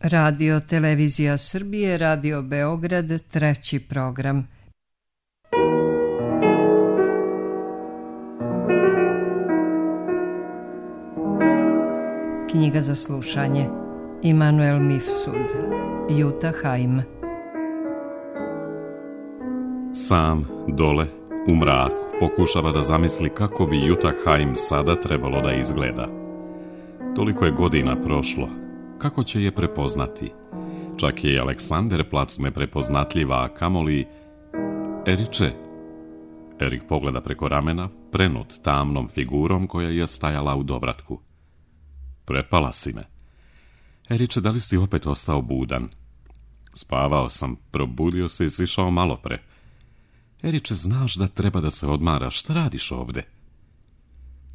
Radio Televizija Srbije, Radio Beograd, treći program. Knjiga za slušanje. Immanuel Mifsud. Jutta Heim. Sam, dole, u mraku, pokušava da zamisli kako bi Jutta Heim sada trebalo da izgleda. Toliko je godina prošlo. Kako će je prepoznati? Čak je i Aleksander Plac neprepoznatljiva, a kamoli... Eriče? Erik pogleda preko ramena, prenut tamnom figurom koja je stajala u dovratku. Prepala si me. Eriče, da li si opet ostao budan? Spavao sam, probudio se i sišao malo pre. Eriče, znaš da treba da se odmaraš, šta radiš ovde?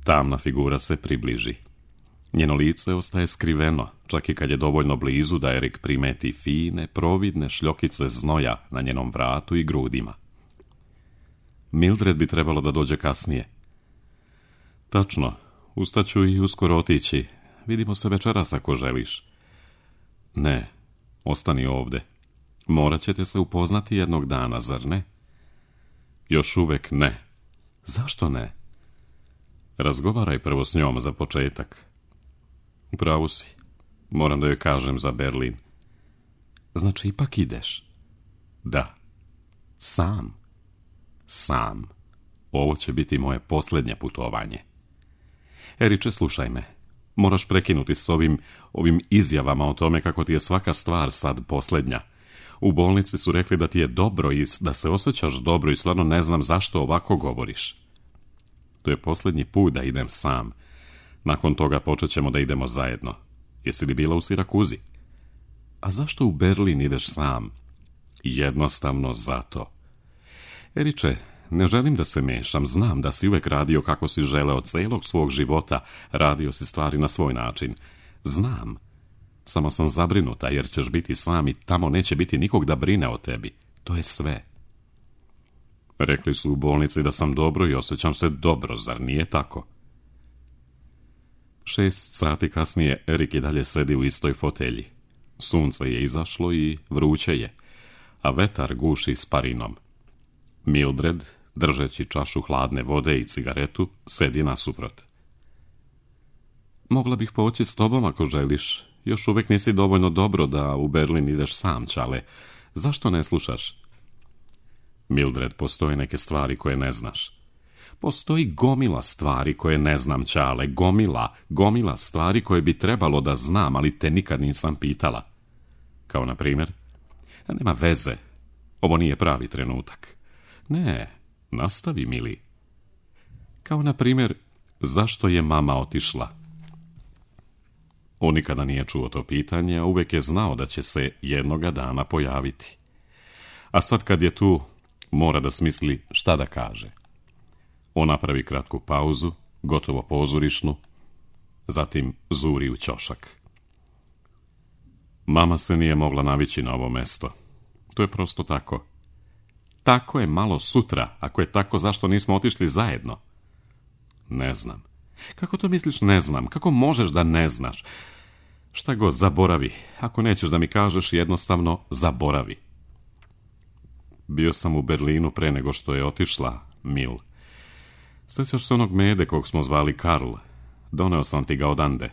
Tamna figura se približi. Njeno lice ostaje skriveno, čak i kad je dovoljno blizu da Erik primeti fine, providne šljokice znoja na njenom vratu i grudima. Mildred bi trebalo da dođe kasnije. Tačno, ustaću i uskoro otići. Vidimo se večeras ako želiš. Ne, ostani ovde. Morat ćete se upoznati jednog dana, zar ne? Još uvek ne. Zašto ne? Razgovaraj prvo s njom za početak. Upravo si. Moram da joj kažem za Berlin. Znači, ipak ideš? Da. Sam. Sam. Ovo će biti moje posljednje putovanje. Eriče, slušaj me. Moraš prekinuti s ovim izjavama o tome kako ti je svaka stvar sad posljednja. U bolnici su rekli da ti je dobro i da se osjećaš dobro i stvarno ne znam zašto ovako govoriš. To je posljednji put da idem sam. Nakon toga počet ćemo da idemo zajedno. Jesi li bila u Sirakuzi? A zašto u Berlin ideš sam? Jednostavno zato. Eriče, ne želim da se mešam, znam da si uvek radio kako si želeo celog svog života, radio si stvari na svoj način. Znam. Samo sam zabrinuta jer ćeš biti sam i tamo neće biti nikog da brine o tebi. To je sve. Rekli su u bolnici da sam dobro i osjećam se dobro, zar nije tako? 6 sati kasnije Erik i dalje sedi u istoj fotelji. Sunce je izašlo i vruće je, a vetar guši s parinom. Mildred, držeći čašu hladne vode i cigaretu, sedi nasuprot. Mogla bih poći s tobom ako želiš. Još uvijek nisi dovoljno dobro da u Berlin ideš sam, čale. Zašto ne slušaš? Mildred, postoje neke stvari koje ne znaš. Postoji gomila stvari koje ne znam, čale. Gomila stvari koje bi trebalo da znam, ali te nikad nisam pitala. Kao na primjer? Nema veze. Ovo nije pravi trenutak. Ne, nastavi, mili. Kao na primjer, zašto je mama otišla? On nikada nije čuo to pitanje, a uvijek je znao da će se jednoga dana pojaviti. A sad kad je tu, mora da smisli šta da kaže. On napravi kratku pauzu, gotovo pozorišnu, zatim zuri u ćošak. Mama se nije mogla navići na ovo mesto. To je prosto tako. Tako je malo sutra. Ako je tako, zašto nismo otišli zajedno? Ne znam. Kako to misliš ne znam? Kako možeš da ne znaš? Šta god, zaboravi. Ako nećeš da mi kažeš, jednostavno zaboravi. Bio sam u Berlinu pre nego što je otišla, Mil. Sjećaš se onog mede kog smo zvali Karl? Doneo sam ti ga odande.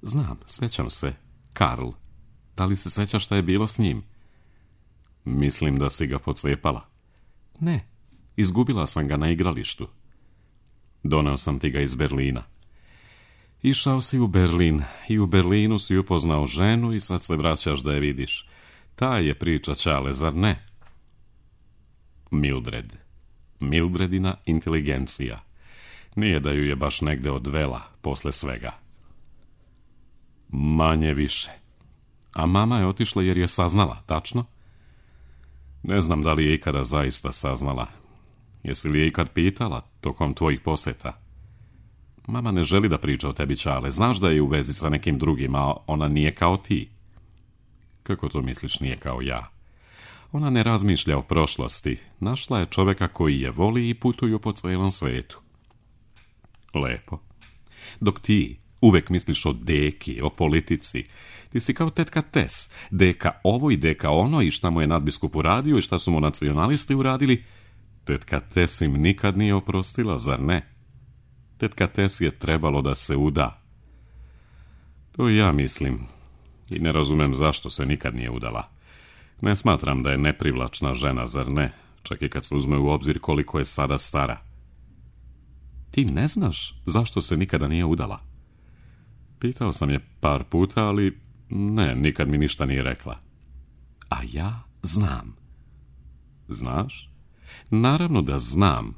Znam, sjećam se. Karl. Da li se sjećaš šta je bilo s njim? Mislim da si ga pocepala. Ne, izgubila sam ga na igralištu. Doneo sam ti ga iz Berlina. Išao si u Berlin i u Berlinu si upoznao ženu i sad se vraćaš da je vidiš. Ta je priča, čale, zar ne? Mildred. Mildredina inteligencija. Nije da ju je baš negde odvela posle svega. Manje više. A mama je otišla jer je saznala, tačno? Ne znam da li je ikada zaista saznala. Jesi li je ikad pitala tokom tvojih poseta? Mama ne želi da priča o tebi, čale. Znaš da je u vezi sa nekim drugim, a ona nije kao ti. Kako to misliš nije kao ja? Ona ne razmišlja o prošlosti. Našla je čoveka koji je voli i putuju po celom svetu. Lepo. Dok ti Uvek misliš o deki, o politici. Ti si kao tetka Tes, deka ovo i deka ono i šta mu je nadbiskup uradio i šta su mu nacionalisti uradili. Tetka Tes im nikad nije oprostila, zar ne? Tetka Tes je trebalo da se uda. To i ja mislim. I ne razumem zašto se nikad nije udala. Ne smatram da je neprivlačna žena, zar ne? Čak i kad se uzme u obzir koliko je sada stara. Ti ne znaš zašto se nikada nije udala? Pitao sam je par puta, ali ne, nikad mi ništa nije rekla. A ja znam. Znaš? Naravno da znam.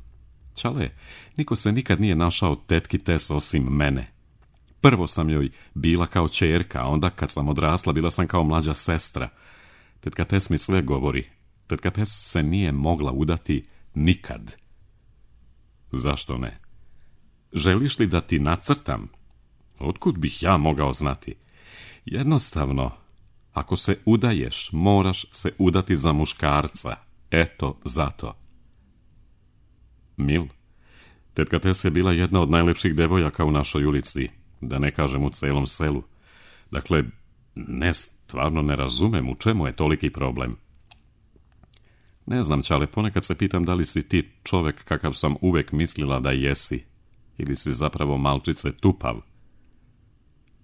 Čale, niko se nikad nije našao tetki Tes osim mene. Prvo sam joj bila kao ćerka, a onda kad sam odrasla bila sam kao mlađa sestra. Tetka Tes mi sve govori. Tetka Tes se nije mogla udati nikad. Zašto ne? Želiš li da ti nacrtam? Otkud bih ja mogao znati? Jednostavno, ako se udaješ, moraš se udati za muškarca. Eto, zato. Mil, tetka Tes je bila jedna od najlepših devojaka u našoj ulici, da ne kažem u celom selu. Dakle, stvarno ne razumem u čemu je toliki problem. Ne znam, Čale, ponekad se pitam da li si ti čovek kakav sam uvek mislila da jesi, ili si zapravo malčice tupav.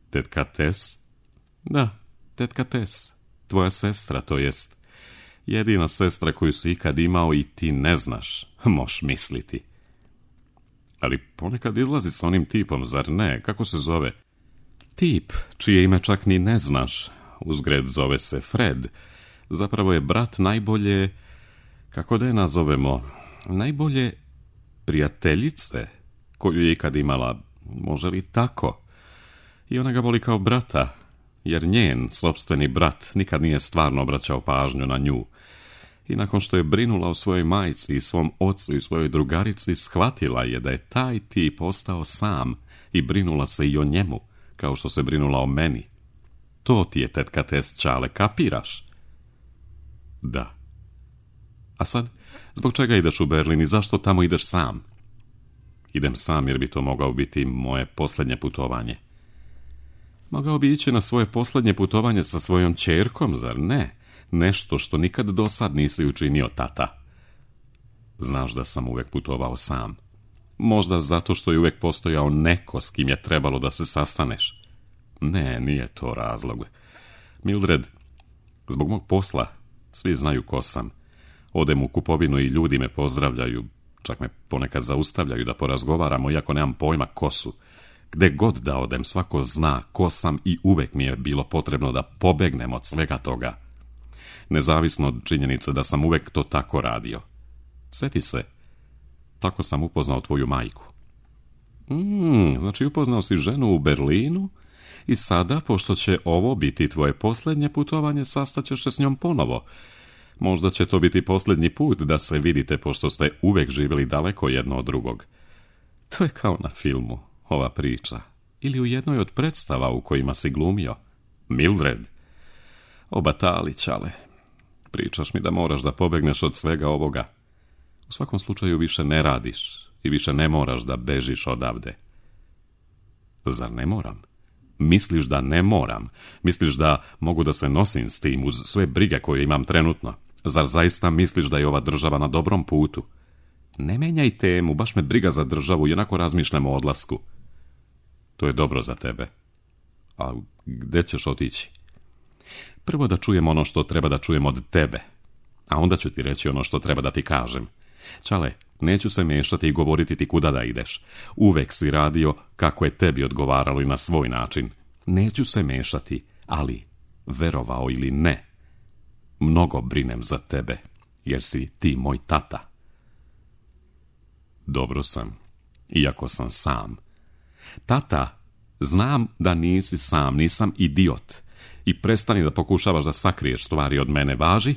Tetka Tes? Da, tetka Tes, tvoja sestra, to jest. Jedina sestra koju si ikad imao i ti ne znaš, moš misliti. Ali ponekad izlazi sa onim tipom, zar ne? Kako se zove? Tip, čije ime čak ni ne znaš. Uzgred zove se Fred. Zapravo je brat najbolje, kako da je nazovemo, najbolje prijateljice koju je ikad imala. Može li tako? I ona ga voli kao brata, jer njen sopstveni brat nikad nije stvarno obraćao pažnju na nju. I nakon što je brinula o svojoj majci i svom ocu i svojoj drugarici, shvatila je da je taj tip ostao sam i brinula se i o njemu, kao što se brinula o meni. To ti je tetka Tes, Čale, kapiraš? Da. A sad, zbog čega ideš u Berlin i zašto tamo ideš sam? Idem sam jer bi to mogao biti moje posljednje putovanje. Mogao bi ići na svoje posljednje putovanje sa svojom ćerkom, zar ne? Nešto što nikad do sad nisi učinio, tata. Znaš da sam uvek putovao sam. Možda zato što je uvek postojao neko s kim je trebalo da se sastaneš. Ne, nije to razlog. Mildred, zbog mog posla svi znaju ko sam. Odem u kupovinu i ljudi me pozdravljaju. Čak me ponekad zaustavljaju da porazgovaramo, iako nemam pojma ko su. Gde god da odem, svako zna ko sam i uvek mi je bilo potrebno da pobegnem od svega toga. Nezavisno od činjenice da sam uvek to tako radio. Sjeti se, tako sam upoznao tvoju majku. Znači upoznao si ženu u Berlinu i sada, pošto će ovo biti tvoje posljednje putovanje, sastaćeš se s njom ponovo. Možda će to biti posljednji put da se vidite, pošto ste uvek živjeli daleko jedno od drugog. To je kao na filmu, ova priča. Ili u jednoj od predstava u kojima si glumio. Mildred. Obatali, Čale. Pričaš mi da moraš da pobegneš od svega ovoga. U svakom slučaju više ne radiš i više ne moraš da bežiš odavde. Zar ne moram? Misliš da ne moram? Misliš da mogu da se nosim s tim uz sve brige koje imam trenutno? Zar zaista misliš da je ova država na dobrom putu? Ne menjaj temu, baš me briga za državu i onako razmišljam o odlasku. To je dobro za tebe. A gde ćeš otići? Prvo da čujem ono što treba da čujem od tebe, a onda ću ti reći ono što treba da ti kažem. Čale, neću se mešati i govoriti ti kuda da ideš. Uvek si radio kako je tebi odgovaralo i na svoj način. Neću se mešati, ali, verovao ili ne, mnogo brinem za tebe, jer si ti moj tata. Dobro sam, iako sam sam. Tata, znam da nisi sam, nisam idiot. I prestani da pokušavaš da sakriješ stvari od mene, važi?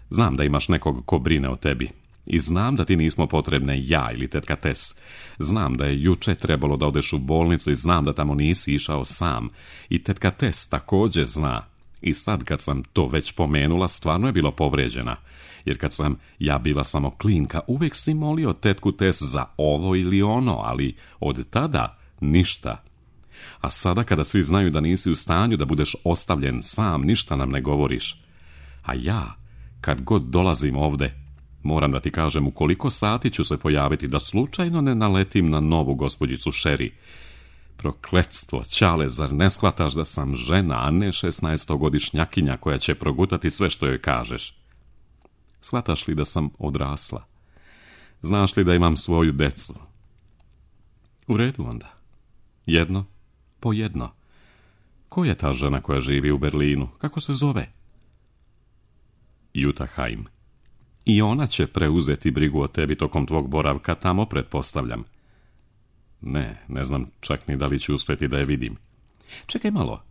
Znam da imaš nekog ko brine o tebi. I znam da ti nismo potrebne ja ili tetka Tes. Znam da je juče trebalo da odeš u bolnicu i znam da tamo nisi išao sam. I tetka Tes također zna. I sad kad sam to već pomenula, stvarno je bilo povređena. Jer kad sam ja bila samo klinka, uvijek si molio tetku Tes za ovo ili ono, ali od tada ništa. A sada kada svi znaju da nisi u stanju da budeš ostavljen sam, ništa nam ne govoriš. A ja, kad god dolazim ovde, moram da ti kažem u koliko sati ću se pojaviti, da slučajno ne naletim na novu gospođicu Sherry. Prokletstvo, Ćale, zar ne shvataš da sam žena, a ne 16-godišnjakinja koja će progutati sve što joj kažeš? Shvataš li da sam odrasla? Znaš li da imam svoju decu? U redu onda. Jedno po jedno. Ko je ta žena koja živi u Berlinu? Kako se zove? Jutta Heim. I ona će preuzeti brigu o tebi tokom tvog boravka tamo, pretpostavljam. Ne znam čak ni da li ću uspjeti da je vidim. Čekaj malo.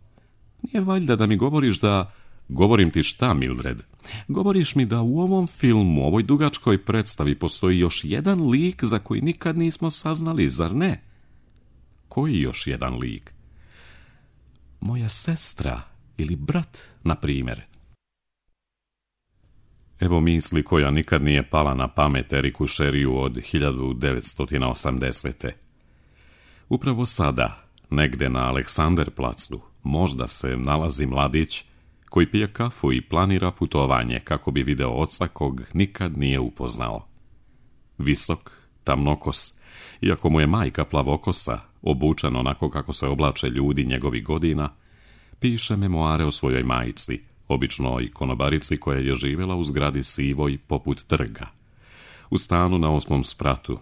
Nije valjda da mi govoriš da... Govorim ti šta, Mildred? Govoriš mi da u ovom filmu, ovoj dugačkoj predstavi, postoji još jedan lik za koji nikad nismo saznali, zar ne? Koji još jedan lik? Moja sestra ili brat, na primjer. Evo misli koja nikad nije pala na pamet Eriku Sherryu od 1980. Upravo sada, negde na Aleksanderplacu, možda se nalazi mladić koji pije kafu i planira putovanje kako bi video oca kog nikad nije upoznao. Visok, tamnokos, iako mu je majka plavokosa, obučen onako kako se oblače ljudi njegovih godina, piše memoare o svojoj majci, običnoj konobarici koja je živjela u zgradi sivoj poput trga, u stanu na 8. spratu,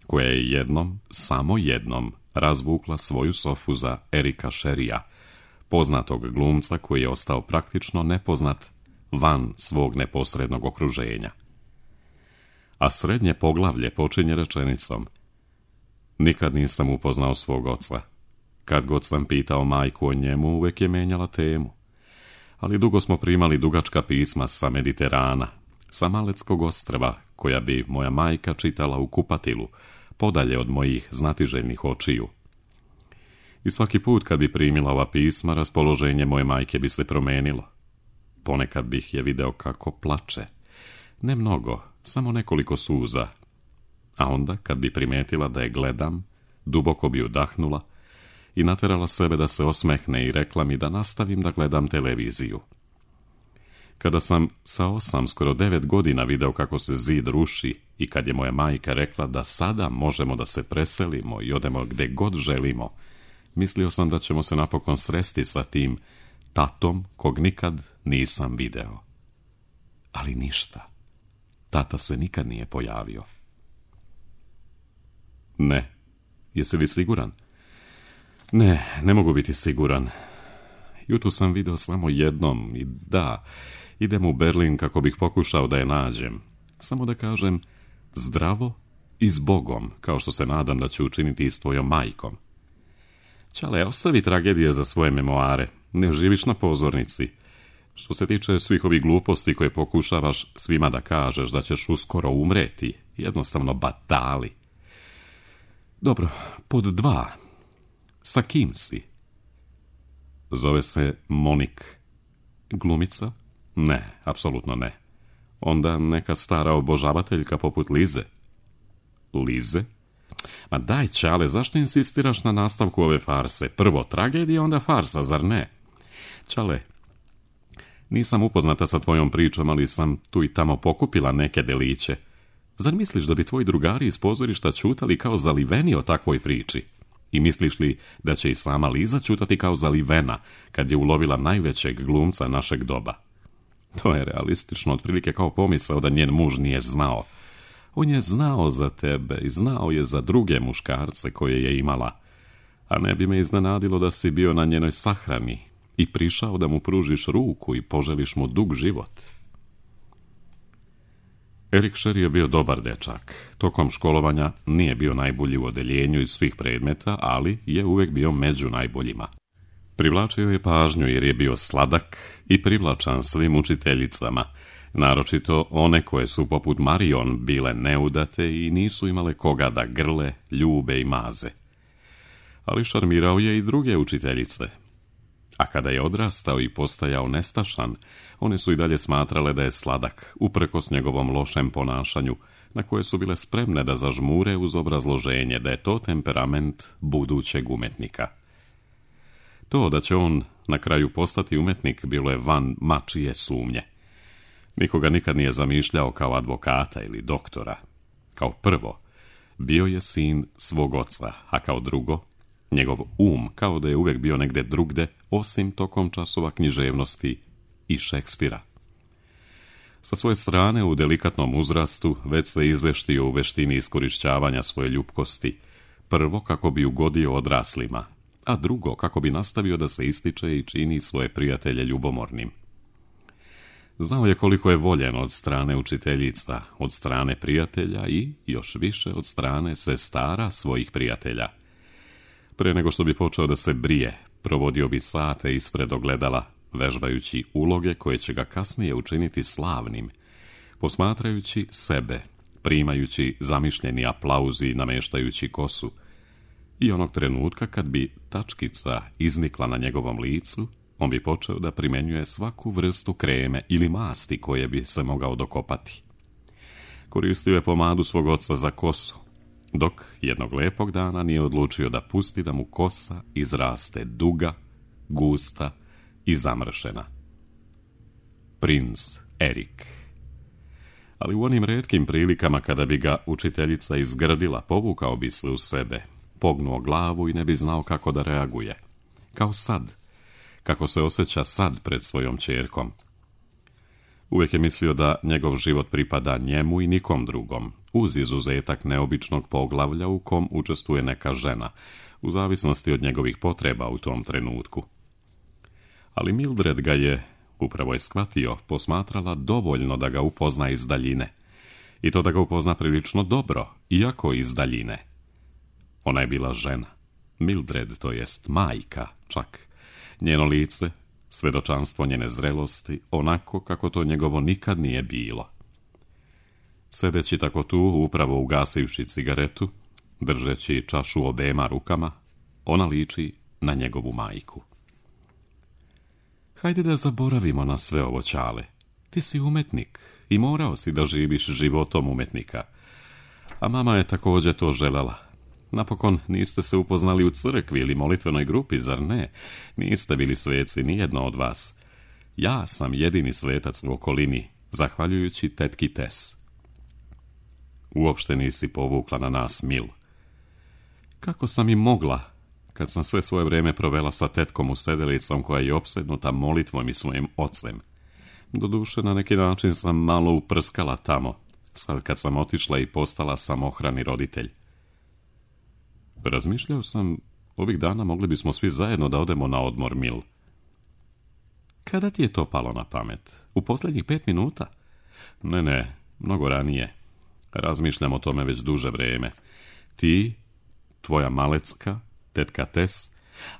koja je jednom, samo jednom, razvukla svoju sofu za Erika Sherrya, poznatog glumca koji je ostao praktično nepoznat van svog neposrednog okruženja. A srednje poglavlje počinje rečenicom: nikad nisam upoznao svog oca. Kad god sam pitao majku o njemu, uvek je menjala temu. Ali dugo smo primali dugačka pisma sa Mediterana, sa Maleckog ostrva, koja bi moja majka čitala u kupatilu, podalje od mojih znatiželjnih očiju. I svaki put kad bi primila ova pisma, raspoloženje moje majke bi se promenilo. Ponekad bih je video kako plače. Ne mnogo, samo nekoliko suza. A onda, kad bi primetila da je gledam, duboko bi udahnula i naterala sebe da se osmehne i rekla mi da nastavim da gledam televiziju. Kada sam sa 8, skoro 9 godina video kako se zid ruši i kad je moja majka rekla da sada možemo da se preselimo i odemo gde god želimo, mislio sam da ćemo se napokon sresti sa tim tatom kog nikad nisam video. Ali ništa. Tata se nikad nije pojavio. Ne. Jesi li siguran? Ne mogu biti siguran. Jutu sam video samo jednom i da, idem u Berlin kako bih pokušao da je nađem. Samo da kažem zdravo i s Bogom, kao što se nadam da ću učiniti i s tvojom majkom. Ćale, ostavi tragedije za svoje memoare. Ne živiš na pozornici. Što se tiče svih ovih gluposti koje pokušavaš svima da kažeš da ćeš uskoro umreti, jednostavno batali. Dobro, pod 2. Sa kim si? Zove se Monik. Glumica? Ne, apsolutno ne. Onda neka stara obožavateljka poput Lize. Lize? Ma daj, Ćale, zašto insistiraš na nastavku ove farse? Prvo tragedija, onda farsa, zar ne? Ćale, nisam upoznata sa tvojom pričom, ali sam tu i tamo pokupila neke deliće. Zar misliš da bi tvoji drugari iz pozorišta ćutali kao zaliveni o takvoj priči? I misliš li da će i sama Liza ćutati kao zalivena kad je ulovila najvećeg glumca našeg doba? To je realistično, otprilike kao pomisao da njen muž nije znao. On je znao za tebe i znao je za druge muškarce koje je imala. A ne bi me iznenadilo da si bio na njenoj sahrani i prišao da mu pružiš ruku i poželiš mu dug život. Erik Sherry je bio dobar dečak. Tokom školovanja nije bio najbolji u odeljenju iz svih predmeta, ali je uvek bio među najboljima. Privlačio je pažnju jer je bio sladak i privlačan svim učiteljicama, naročito one koje su poput Marion bile neudate i nisu imale koga da grle, ljube i maze. Ali šarmirao je i druge učiteljice. A kada je odrastao i postajao nestašan, one su i dalje smatrale da je sladak, uprkos njegovom lošem ponašanju, na koje su bile spremne da zažmure uz obrazloženje da je to temperament budućeg umetnika. To da će on na kraju postati umetnik bilo je van mačije sumnje. Nikoga nikad nije zamišljao kao advokata ili doktora. Kao prvo, bio je sin svog oca, a kao drugo, njegov kao da je uvijek bio negde drugde, osim tokom časova književnosti i Šekspira. Sa svoje strane, u delikatnom uzrastu, već se izveštio u veštini iskorišćavanja svoje ljubkosti, prvo kako bi ugodio odraslima, a drugo kako bi nastavio da se ističe i čini svoje prijatelje ljubomornim. Znao je koliko je voljen od strane učiteljica, od strane prijatelja i, još više, od strane sestara svojih prijatelja. Pre nego što bi počeo da se brije, provodio bi sate ispred ogledala, vežbajući uloge koje će ga kasnije učiniti slavnim, posmatrajući sebe, primajući zamišljeni aplauz i nameštajući kosu. I onog trenutka kad bi tačkica iznikla na njegovom licu, on bi počeo da primenjuje svaku vrstu kreme ili masti koje bi se mogao dokopati. Koristio je pomadu svog oca za kosu, dok jednog lepog dana nije odlučio da pusti da mu kosa izraste duga, gusta i zamršena. Princ Erik. Ali u onim retkim prilikama kada bi ga učiteljica izgrdila, povukao bi se u sebe, pognuo glavu i ne bi znao kako da reaguje. Kao sad, kako se osjeća sad pred svojom ćerkom. Uvijek je mislio da njegov život pripada njemu i nikom drugom, uz izuzetak neobičnog poglavlja u kom učestvuje neka žena, u zavisnosti od njegovih potreba u tom trenutku. Ali Mildred ga je, upravo je shvatio, posmatrala dovoljno da ga upozna iz daljine. I to da ga upozna prilično dobro, iako iz daljine. Ona je bila žena. Mildred, to jest majka, čak. Njeno lice, svedočanstvo njene zrelosti, onako kako to njegovo nikad nije bilo. Sedeći tako tu, upravo ugasivši cigaretu, držeći čašu obema rukama, ona liči na njegovu majku. Hajde da zaboravimo na sve ovo, Ćale. Ti si umetnik i morao si da živiš životom umetnika. A mama je također to želela. Napokon niste se upoznali u crkvi ili molitvenoj grupi, zar ne? Niste bili sveci, nijedno od vas. Ja sam jedini svetac u okolini, zahvaljujući tetki Tess. Uopšte nisi povukla na nas, Mil. Kako sam i mogla, kad sam sve svoje vrijeme provela sa tetkom u sedelicom koja je opsednuta molitvom i svojim ocem. Doduše, na neki način sam malo uprskala tamo, sad kad sam otišla i postala samohrani roditelj. Razmišljao sam, ovih dana mogli bismo svi zajedno da odemo na odmor, Mil. Kada ti je to palo na pamet? U posljednjih 5 minuta? Ne, mnogo ranije. Razmišljam o tome već duže vrijeme. Ti, tvoja malecka, tetka Tess,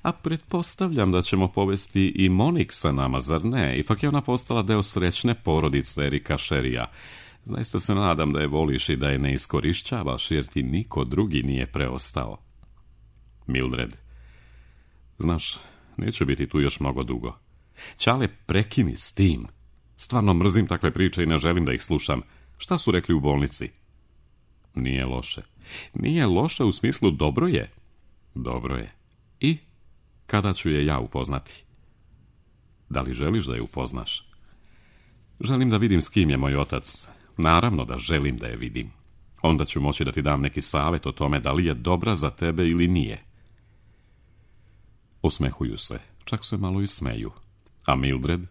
a pretpostavljam da ćemo povesti i Monik sa nama, zar ne? Ipak je ona postala deo srećne porodice Erika Sherrya. Zaista se nadam da je voliš i da je ne iskorišćavaš, jer ti niko drugi nije preostao. Mildred. Znaš, neću biti tu još mnogo dugo. Ćale, prekini s tim. Stvarno mrzim takve priče i ne želim da ih slušam. Šta su rekli u bolnici? Nije loše. Nije loše u smislu dobro je. Dobro je. I kada ću je ja upoznati? Da li želiš da je upoznaš? Želim da vidim s kim je moj otac. Naravno da želim da je vidim. Onda ću moći da ti dam neki savjet o tome da li je dobra za tebe ili nije. Osmehuju se, čak se malo i smeju. A Mildred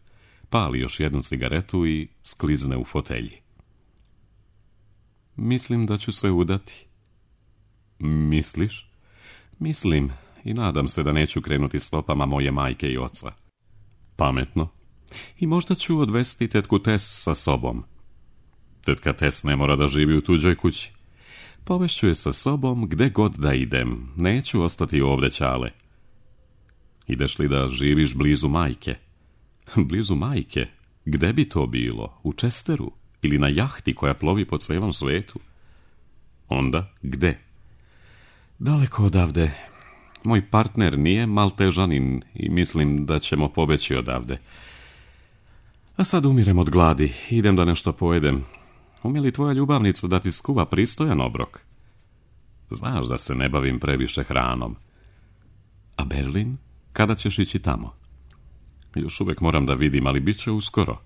pali još jednu cigaretu i sklizne u fotelji. Mislim da ću se udati. Misliš? Mislim i nadam se da neću krenuti stopama moje majke i oca. Pametno. I možda ću odvesti tetku Tess sa sobom. Tetka Tess ne mora da živi u tuđoj kući. Povešću je sa sobom gde god da idem. Neću ostati ovdje, Ćale. Ideš li da živiš blizu majke? Blizu majke? Gde bi to bilo? U Chesteru? Ili na jahti koja plovi po celom svetu? Onda, gde? Daleko odavde. Moj partner nije Maltežanin i mislim da ćemo pobeći odavde. A sad umirem od gladi. Idem da nešto pojedem. Umije li tvoja ljubavnica da ti skuva pristojan obrok? Znaš da se ne bavim previše hranom. A Berlin? Kada ćeš ići tamo? Još uvijek moram da vidim, ali bit će uskoro.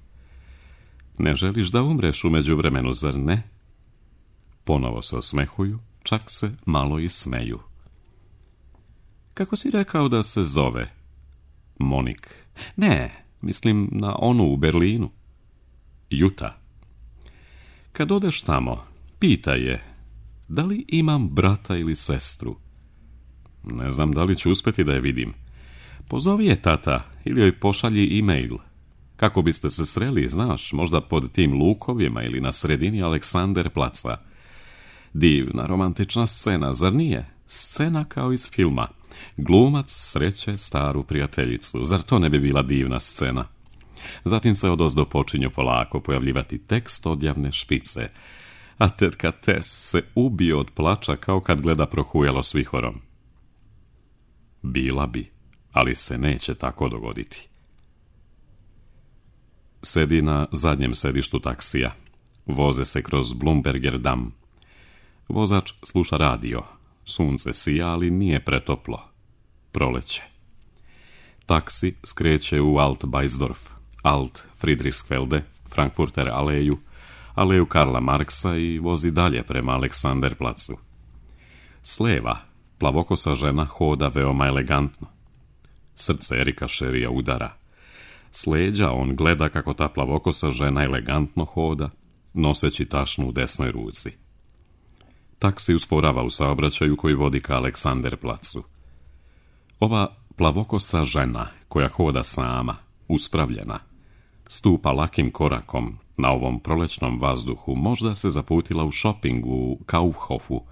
Ne želiš da umreš u međuvremenu, zar ne? Ponovo se osmehuju, čak se malo i smeju. Kako si rekao da se zove? Monik. Ne, mislim na onu u Berlinu. Juta. Kad odeš tamo, pitaj je, da li imam brata ili sestru? Ne znam da li ću uspjeti da je vidim. Pozovi je tata ili joj pošalji e-mail. Kako biste se sreli, znaš, možda pod tim lukovima ili na sredini Aleksanderplaca. Divna romantična scena, zar nije? Scena kao iz filma. Glumac sreće staru prijateljicu. Zar to ne bi bila divna scena? Zatim se odozdo počinju polako pojavljivati tekst odjavne špice. A tetka Tess se ubije od plača kao kad gleda Prohujalo s vihorom. Bila bi, ali se neće tako dogoditi. Sedi na zadnjem sedištu taksija. Voze se kroz Blumberger dam. Vozač sluša radio. Sunce sija, ali nije pretoplo. Proleće. Taksi skreće u Alt-Beisdorf, Alt-Friedrichsfelde, Frankfurter aleju, aleju Karla Marksa i vozi dalje prema Aleksanderplacu. Sleva, plavokosa žena hoda veoma elegantno. Srce Erika Sherrya udara. S leđa on gleda kako ta plavokosa žena elegantno hoda, noseći tašnu u desnoj ruci. Taksi usporava u saobraćaju koji vodi ka Aleksanderplacu. Ova plavokosa žena koja hoda sama, uspravljena, stupa lakim korakom na ovom prolećnom vazduhu, možda se zaputila u šoping u Kaufhofu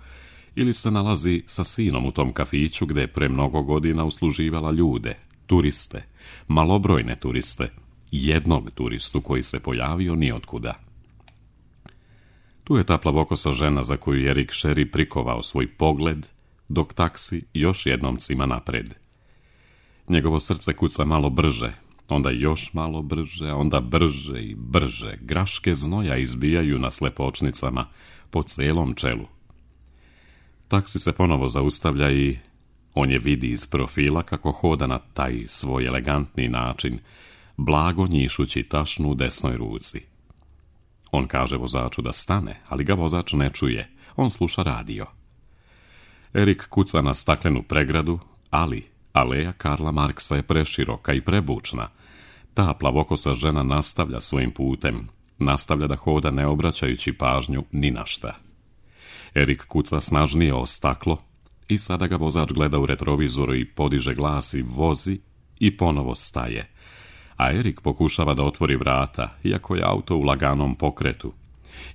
ili se nalazi sa sinom u tom kafiću gde je pre mnogo godina usluživala ljude, turiste, malobrojne turiste, jednog turistu koji se pojavio nijotkuda. Tu je ta plavokosa žena za koju je Erik Sherry prikovao svoj pogled, dok taksi još jednom cima napred. Njegovo srce kuca malo brže, onda još malo brže, onda brže i brže. Graške znoja izbijaju na slepočnicama po celom čelu. Taksi se ponovo zaustavlja i on je vidi iz profila kako hoda na taj svoj elegantni način, blago njišući tašnu u desnoj ruci. On kaže vozaču da stane, ali ga vozač ne čuje. On sluša radio. Erik kuca na staklenu pregradu, ali aleja Karla Marksa je preširoka i prebučna. Ta plavokosa žena nastavlja svojim putem. Nastavlja da hoda ne obraćajući pažnju ni na šta. Erik kuca snažnije o staklo i sada ga vozač gleda u retrovizoru i podiže glas i vozi i ponovo staje. A Erik pokušava da otvori vrata, iako je auto u laganom pokretu.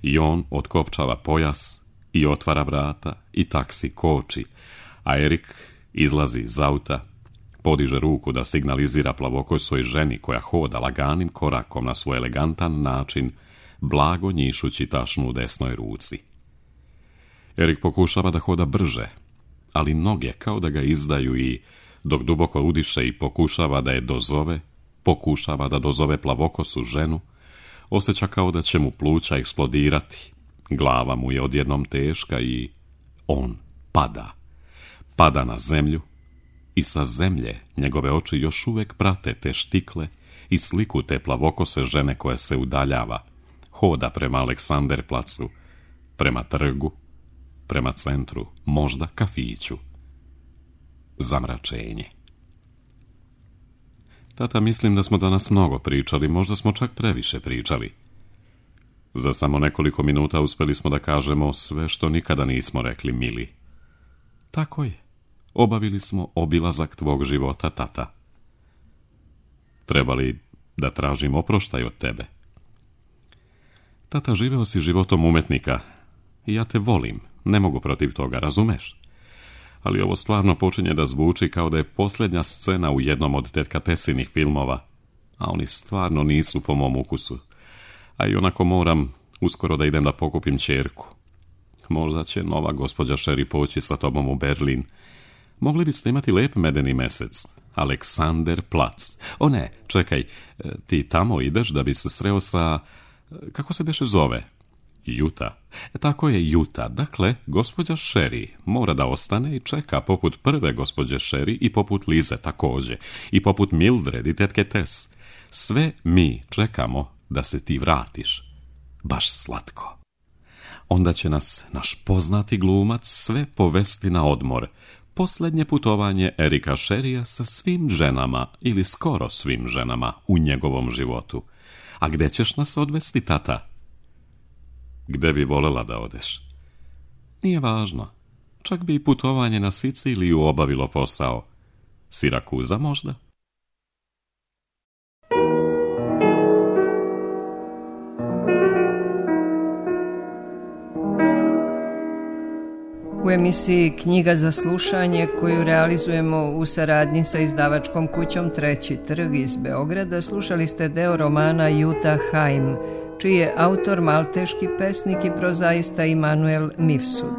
I on otkopčava pojas i otvara vrata i taksi koči, a Erik izlazi iz auta, podiže ruku da signalizira plavokosoj ženi koja hoda laganim korakom na svoj elegantan način, blago njišući tašnu u desnoj ruci. Erik pokušava da hoda brže, ali noge kao da ga izdaju i, dok duboko udiše i pokušava da je dozove, pokušava da dozove plavokosu ženu, osjeća kao da će mu pluća eksplodirati. Glava mu je odjednom teška i on pada. Pada na zemlju i sa zemlje njegove oči još uvijek prate te štikle i sliku te plavokose žene koja se udaljava, hoda prema Aleksanderplacu, prema trgu, prema centru, možda kafiću. Zamračenje. Tata, mislim da smo danas mnogo pričali, možda smo čak previše pričali. Za samo nekoliko minuta uspjeli smo da kažemo sve što nikada nismo rekli, mili. Tako je. Obavili smo obilazak tvog života, tata. Treba li da tražim oproštaj od tebe? Tata, živeo si životom umetnika i ja te volim, ne mogu protiv toga, razumeš? Ali ovo stvarno počinje da zvuči kao da je posljednja scena u jednom od tetka Tessinih filmova, a oni stvarno nisu po mom ukusu. A i onako moram uskoro da idem da pokupim ćerku. Možda će nova gospođa Sherry poći sa tobom u Berlin. Mogli biste imati lep medeni mesec. Aleksanderplac. O ne, čekaj, ti tamo ideš da bi se sreo sa... Kako se beše zove? Juta. Tako je, Juta. Dakle, gospođa Sherry mora da ostane i čeka poput prve gospođe Sherry i poput Lize također. I poput Mildred i tetke Tess. Sve mi čekamo da se ti vratiš. Baš slatko. Onda će nas naš poznati glumac sve povesti na odmor. Posljednje putovanje Erika Sherrya sa svim ženama ili skoro svim ženama u njegovom životu. A gde ćeš nas odvesti, tata? Gde bi volela da odeš? Nije važno. Čak bi i putovanje na Siciliju obavilo posao. Sirakuza možda? U emisiji Knjiga za slušanje, koju realizujemo u saradnji sa izdavačkom kućom Treći trg iz Beograda, slušali ste deo romana Jutta Heim, čiji je autor malteški pesnik i prozaista Immanuel Mifsud.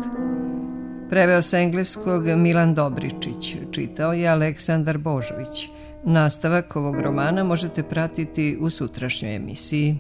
Preveo sa engleskog Milan Dobričić, čitao je Aleksandar Božović. Nastavak ovog romana možete pratiti u sutrašnjoj emisiji.